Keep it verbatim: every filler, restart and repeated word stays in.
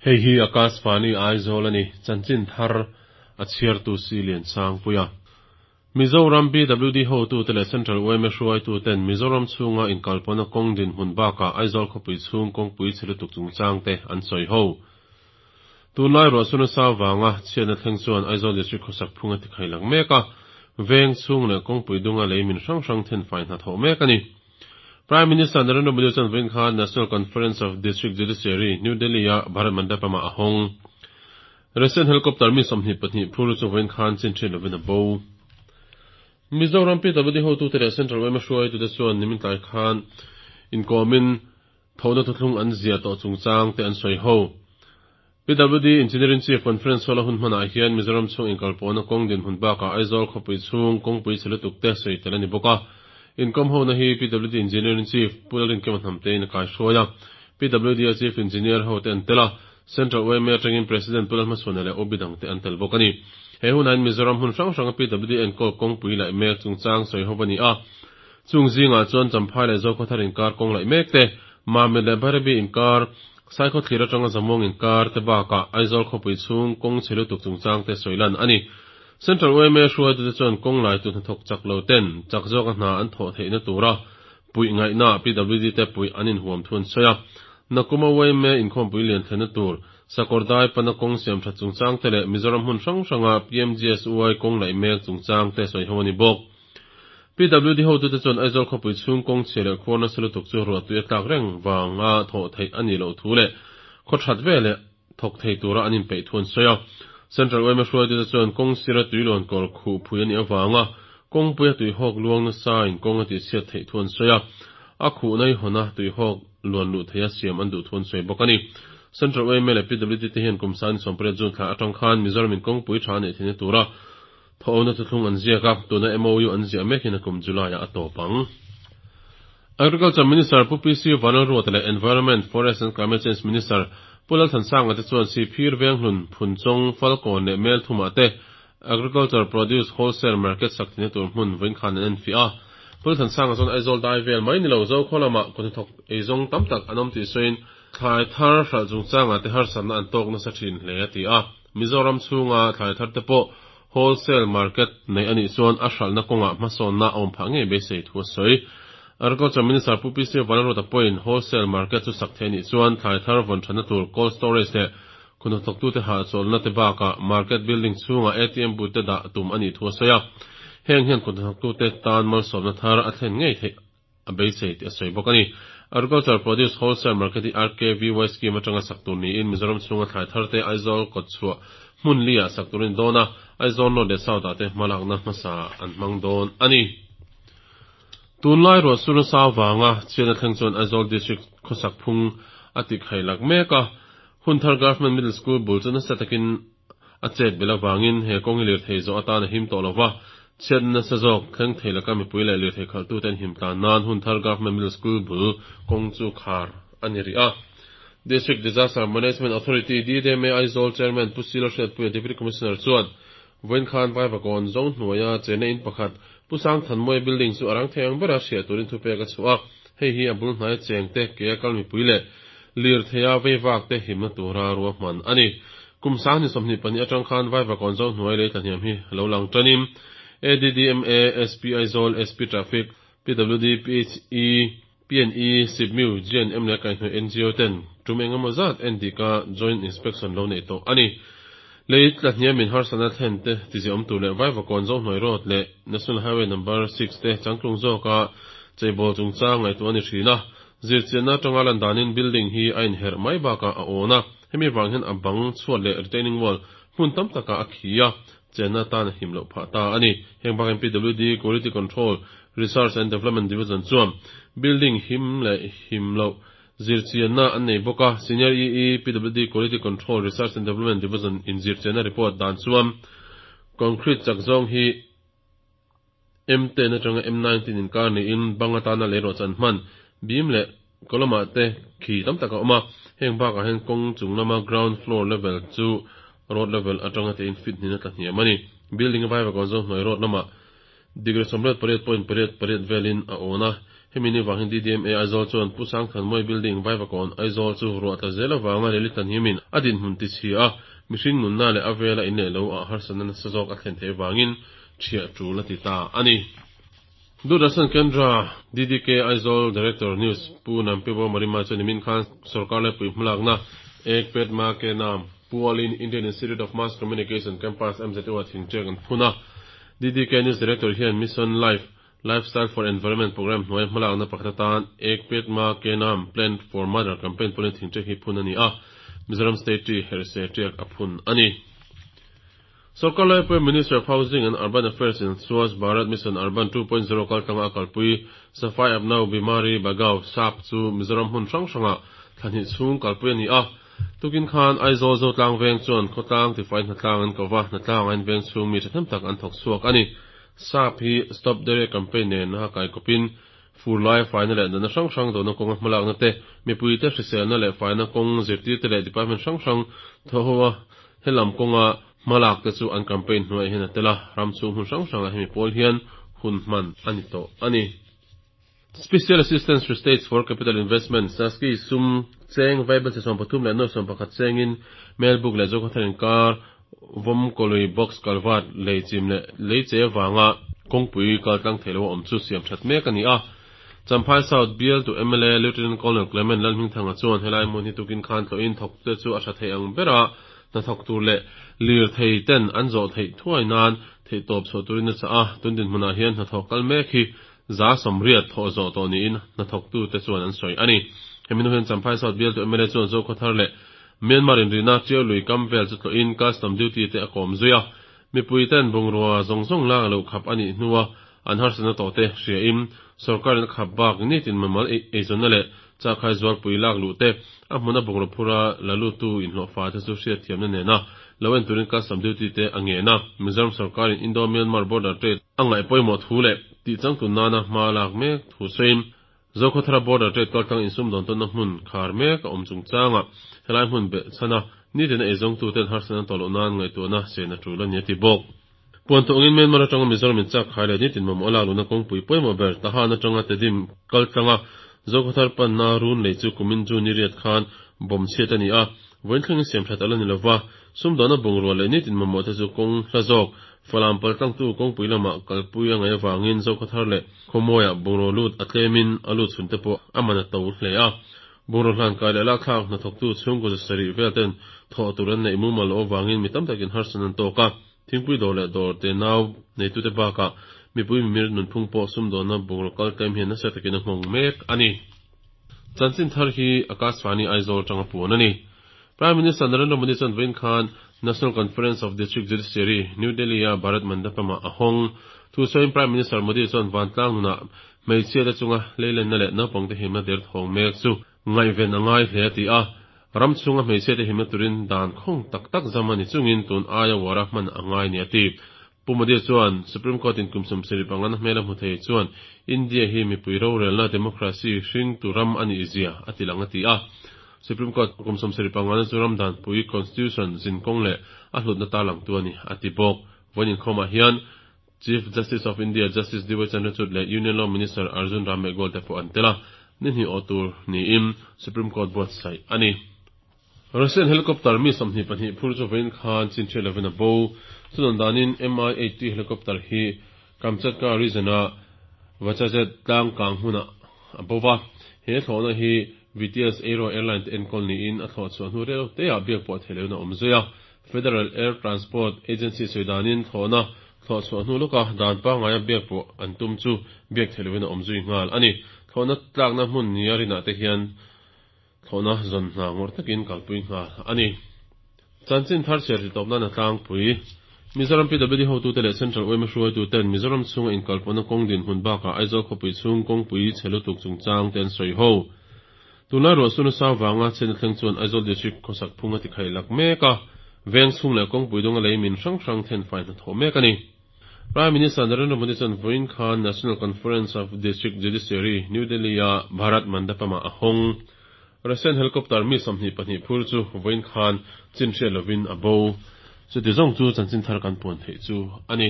Hei hi Akashvani Aizawl a ni, chanchin thar a chhiartu si lian sang puia. Mizoram PWD hotu te leh Central YMA hruaitu ten Mizoram chhunga inkalpawhna kawng dinhmun bakah Aizawl khawpui chhung kawngpui chhe lutuk chungchang te an sawi ho. Tunlai ruahsur nasa vanga chhiatna thleng chuan Aizawl District khawsak phung a tikhai lang mek a, veng chhung leh kawngpui dunga lei min hrang hrang then fai hna thawh mek a ni. Prime Minister Narendra Modi chuan vawiin khan National Conference of District Judiciary, New Delhi-a Bharat Mandapam-ah a hawng. Russian helicopter mi sawmhnih pahnih phur chu vawiin khan chin ṭhin lovin a bo. Mizoram PWD hotute leh Central YMA hruaitute chuan nimin tlai khan inkawmin thawhna thuthlung an ziah tawh chungchang te an sawi ho. PWD Engineering Chief Conference Hall a hun hmanah hian Mizoram chhung inkalpawhna kawng dinhmun bakah Aizawl khawpui chhung kawngpui chhe lutuk te sawi tel a ni bawk a. Inkawm hona hi PWD Engineering Chief Pu Lalrinkima Hnamtein a kaihruai a. PWD a Chief Engineer ho te an tel a, Central YMA atangin President Pu Lalhmachhuana leh OB dang te an tel bawk a ni. He hunahin Mizoram hmun hrang hranga PWD enkawl kawngpui laih mek chungchang sawi ho a ni a. Chung zingah chuan Champhai leh Zokhawthar inkar kawng laih mek te, Mamit leh Bairabi inkar, Saikhaw thlir atanga Zamuang inkar te bakah Aizawl khawpui chhung kawng chhe lutuk chungchang te sawi lan a ni. Central YMA hruaitute chuan kawng laitu hnathawk chak lo ten chak zawka hna an thawh theihna tura puih ngaihna PWD te puih an inhuam thu an sawi a. Nakuma YMA inkhawmpui lian thlenna tur Sakawr dai pana kawng siam that chungchang te leh Mizoram hmun hrang hranga PMGSY kawng laih mek chungchang te sawi ho a ni bawk. PWD hotute chuan Aizawl khawpui chhung kawng chhia leh khuar nasa lutuk chu ruahtui a tlak reng vanga thawh theih a nih loh thu leh khaw that veleh thawk thei tura an inpeih thu an sawi a. Central YMA hruaitute chuan kawng sira tuilawn kawr khuh phui a nih avanga kawngpui a tuihawk luang nasa in kawng a tihchhiat theih thu an sawi a. A khuhna i hawna tuihawk luan luh theia siam an duh thu an sawi bawk a ni. Central YMA leh PWD te hian kum sang sawmpariat June thla atang khan Mizoram in kawngpui tha neih theihna tura thawhna thuthlung an ziak a, tuna MOU an ziah mek hian a kum July-ah a tawp ang. Agriculture Minister Pu PC Vanlalruata leh Environment, Forest and Climate Change Minister Pu Lalthansanga te chuan Sihphir Venghlun, Phunchawng, Falkawn leh Melthumah te Agriculture Produce Wholesale Market sak theihna tur hmun vawiin khan an enfiah a. Pu Lalthansanga chuan Aizawl dai vel mai ni lo Zokhaw lamah kawthnathawk eizawng tam tak an awm tih sawiin thlai thar hralh chungchangah te harsatna an tawk nasa thin hle a ti a. Mizoram chhunga thlai thar te pawh wholesale market nei a nih chuan a hralhna kawngah hmasawnna a awm phah ngei beisei thu a sawi. Agriculture Minister Pu PC Vanlalruata pawhin wholesale market chu sak theih a nih chuan thlai thar vawn thatna tur cold storage leh khuhnathawktute hahchawlhna te bakah market building chhungah ATM booth te dah tum a nih thu a sawi a. Heng hian khuhnathawktute tan malsawmna thar a thlen ngei theih a beisei tih a sawi bawk a ni. Agriculture Produce Wholesale Market hi RKVY scheme atanga sak tur niin Mizoram chhunga thlai thar te Aizawl kawtchhuah hmun li-ah sak tur a ni dawn a, Aizawl North leh South-ah te hmalakna hmasa an hmang dawn a ni. Tunlai ruahsur nasa vanga chhiatna thleng chuan Aizawl District khawsak phung a tikhai lak mek a, Hunthar Government Middle School bul chu nasa takin a chet belh avangin he kawng hi lirthei zawh atan a him tawh lova, chhiatna nasa zawk thleng thei laka mipui leh lirthei khalhtute an him tlan nan Hunthar Government Middle School bul kawng chu khar a ni rih a. District Disaster Management Authority, DDMA, Aizawl Chairman Pu Silo Hriatpuia Deputy Commissioner chuan vawiin khan Vaivakawn zawng hnuaia chenna in pakhat Pu Sangthanmawia building chu a rang thei ang bera hriat turin thupek a chhuah a, hei hi a bul hnaia chengte ke a kal mipui leh lirtheia veivak te himna tura ruahman a ni. Kum sang ni sawmhnih pahnih atang khan Vaivakawn zawng hnuai lei tlahniam hi lo lang tanin ADDMA, SP Aizawl, SP Traffic, PWD, PHE, PNE, SIPMIU, GNM leh kaihhnawih NGO ten tum eng emaw zat endika joint inspection lo neih tawh a ni. Lei tlahniamin harsatna thlen te tiziahawm tur leh Vaivakawn zawng hnuai road leh National Highway number six te changtlung zawka cheibawl chungchang ngaihtuah a ni thin a. Zirchianna atanga lan danin building hi a inherh mai bakah a awn a, hemi vang hian a bang chhuat leh retaining wall hmun tam takah a khi a, chenna atan a him loh phah ta a ni. Heng bakin PWD Quality Control, Research and Development Division chuan building him leh him loh zirchianna an nei bawk a, Senior EE PWD Quality Control, Research and Development Division in zirchianna report dan chuan concrete chak zawng hi M ten atanga M nineteen inkar niin bang atana lei rawh chan hman beam leh column ah te khi tam tak a awm a, heng bakah hian kawng chung lama ground floor level chu road level atanga te in fit hnin a tla hniam a ni. Building a vaivakawn zawng hnuai road lamah degree sawmriat pariat point pariat pariat velin a awn a, Hemi ni wangin D D M A Aizawl chuan Pu Sangthanmawii Building Vaivakawn Aizawl chu ruah tla zel awanga leli tlan himin a dinhmun ti chhi a, mihring nunna leh a vela in leh lo ah harsatna nasa zawk a thlen theih wangin ṭhiah ṭul a ti ta a ni. Doordarshan Kendra D D K Aizawl Director News Pu Nampibo Marima chuan nimin khan sarkar laipui hmalakna Ek Ped Maa Ke Naam pualin Indian Institute of Mass Communication Campus M Z U ah thingṭek an phun a. D D K News Director hian Mission Life Lifestyle for Environment Program hnuai hmalakna pakhat atan Ek Ped Maa Ke Naam Plant for Mother campaign pualin thingṭek hi phun a ni a. Mizoram State Tree Herse ṭiak a phun a ni. Sarkar laipui Minister of Housing and Urban Affairs in Swachh Bharat Mission Urban two point zero kaltlanga a kalpui Safai Apnao Bimari Bhagao Sap chu Mizoram hmun hrang hranga thlahnih chhung kalpui a ni a. Tukin khan Aizawl Zotlang veng chuan khawtlang tifai hnatlang an ko va, hnatlang an veng chhung mi ṭhahnem tak an thawk chhuak a ni. Sap hi Stop Diarrhea campaign nen a kai kawpin fur lai faina leh natna hrang hrang dawhna kawnga hmalakna te, mipui te hriselna leh faina kawng zirtir te leh department hrang hrang thaw ho a helam kawnga hmalak te chu an campaign hnuaiah hian a tel a, ram chhung hmun hrang hrangah hemi pawl hian hun hman a ni tawh a ni. Special Assistance to States for Capital Investment, SASCI, sum cheng vaibel chi sawm pathum leh nuai sawm pakhat chengin Melbourne leh Zokhawthar inkar vawmkawlui box culvert lei chim leh lei che wanga kawngpui kaltlang theih lo a awm chu siam that mek a ni a. Champhai South bial tu M L A Lieutenant Colonel Clement Lalhmingthanga chuan helai hmun hi tukin khan tlawhin thawk te chu a tha thei ang bera hnathawk tur leh lir thei ten an zawh theih thuai nan theih tawp chhuah turin a chah a. Tun dinhmunah hian hnathawk kal mek hi za sawmriat thawh zawh tawh niin hnathawk tu te chuan an sawi a ni. Hemi hnu hian Champhai South bial tu M L A chuan Zokhawthar leh Myanmar inrina Ṭiau lui kam vel chu tlawhin custom duty te a kawm zui a. Mipui ten bungrua zawng zawng lak lo khap a nih hnua an harsatna tawh te hriain sarkarin a khap bak nitin mamal eizawnna leh chakhai zualpui lak luh te a hmuna bungraw phura la lut tu inhlawh fa te chu hriat thiamna nena lo en turin custom duty te a ngen a. Mizoram sarkarin Indo-Myanmar border trade a ngaih pawimawh thu leh tih changtun nana hma lak mek thu sawiin Zokhawthara border trade kaltlang insum dawn tawnna hmun khar mek a awm chungchanga helai hmun be chhana nitin a eizawng tu ten harsatna tawh loh nan ngaihtuahna sen a tul a ni a ti bawk. Puan tawngin Myanmar atanga Mizoram in chak khai leh nitin mamawh lak luhna kawngpui pawimawh ber Tahan atanga Tedim kaltlanga Zokhawthar panna run lei chu kumin June ni riat khan bawm chhiat a ni a. Vawiin thlengin siam that ala ni lova, sumdawhna bungrua leh nitin mamawh te chu kawng hla zawk Falam paltlang tu kawngpui lamah kalpui a ngaih awangin Zokhawthar leh khawmawiah bungraw lut a tlemin a lut chhun te pawh a man a to hle a. Bungraw hlan kai leh lakthlak hnathawk tu chhungkaw zasarih vel ten thawh tur an neih mumal loh awangin mi tam takin harsatna an tawk a. Thingpui dawr leh dawr te nau neitute bakah mipui mimir nunphung pawh sumdawhna bungraw kal tlem hian nasa takin a nghawng mek a ni. Chanchin thar hi Akashvani Aizawl tanga puan a ni. Prime Minister Narendra Modi chuan vawiin khan National Conference of District Judiciary, New Delhi a Bharat Mandapam-ah a hawng. Thu sawiin Prime Minister Modi chuan vantlang nunah hmeichhia te chunga leilenna leh naupangte himna der thawng mek chu ngaihven a ngai hle a ti a. Ram chhunga hmeichhia te himna turin dan khawng tak tak zam a ni chungin tun aia wara hman a ngai ni a ti. Pu Modi chuan Supreme Court in kum sawmsarih pangana hmel a hmu thei chuan India hi mipui rorelna democracy hring tu ram a nih zia a ti lang a ti a. Supreme Court kum sawmsarih pangana chu ram dan pui Constitution zinkawng leh a hlutna ta lang tu a ni a ti bawk. Vawiin inkhawmah hian Chief Justice of India Justice D Y Chandrachud leh Union Law Minister Arjun Ram Meghwal te pawh an tel a. Ni hnih awh tur niin Supreme Court buatsaih a ni. Russian helicopter mi sawmhnih pahnih phur chu vawiin khan chin hriat lovin a bo. Chuan danin M I eight helicopter hi Kamchatka region-a Vachazet tlang kang hmunah a bo va. He thlawhna hi V T S Aero Airline te enkawl niin a thlawh chhuah hnu rel teah biak pawh theih loin a awm zui a. Federal Air Transport Agency sawi danin thlawhna thlawh chhuah hnu lawka dan pangngaia biak pawh an tum chu biak theih loin a awm zui nghal a ni. Thlawhna tlakna hmun nia rinah te hian thlawhna zawn hna ngawr takin kalpui nghal a ni. Chanchin thar chhiar ti tawp nan a tlangpui. Mizoram P W D hotu te leh Central U M hruaitu ten Mizoram chhunga inkalpawhna kawng dinhmun bakah Aizawl khawpui chhung kawngpui chhe lutuk chungchang te an sawi ho. Tunlai ruah suna sang wanga chen thleng chuan Aizawl District khawsak phunga ti khai lak mek a. Veng chhung leh kawngpui dunga lei min hrang hrang then fai hna thawh mek a ni. Prime Minister Narendra Modi chuan vawiin khan National Conference of District Judiciary, New Delhi a Bharat Mandapam-ah a hawng. Russian helicopter mi sawmhnih pahnih phur chu vawiin khan chin hriat lovin a bo. Chuti zawng chu chanchin thar kan puan theih chu a ni.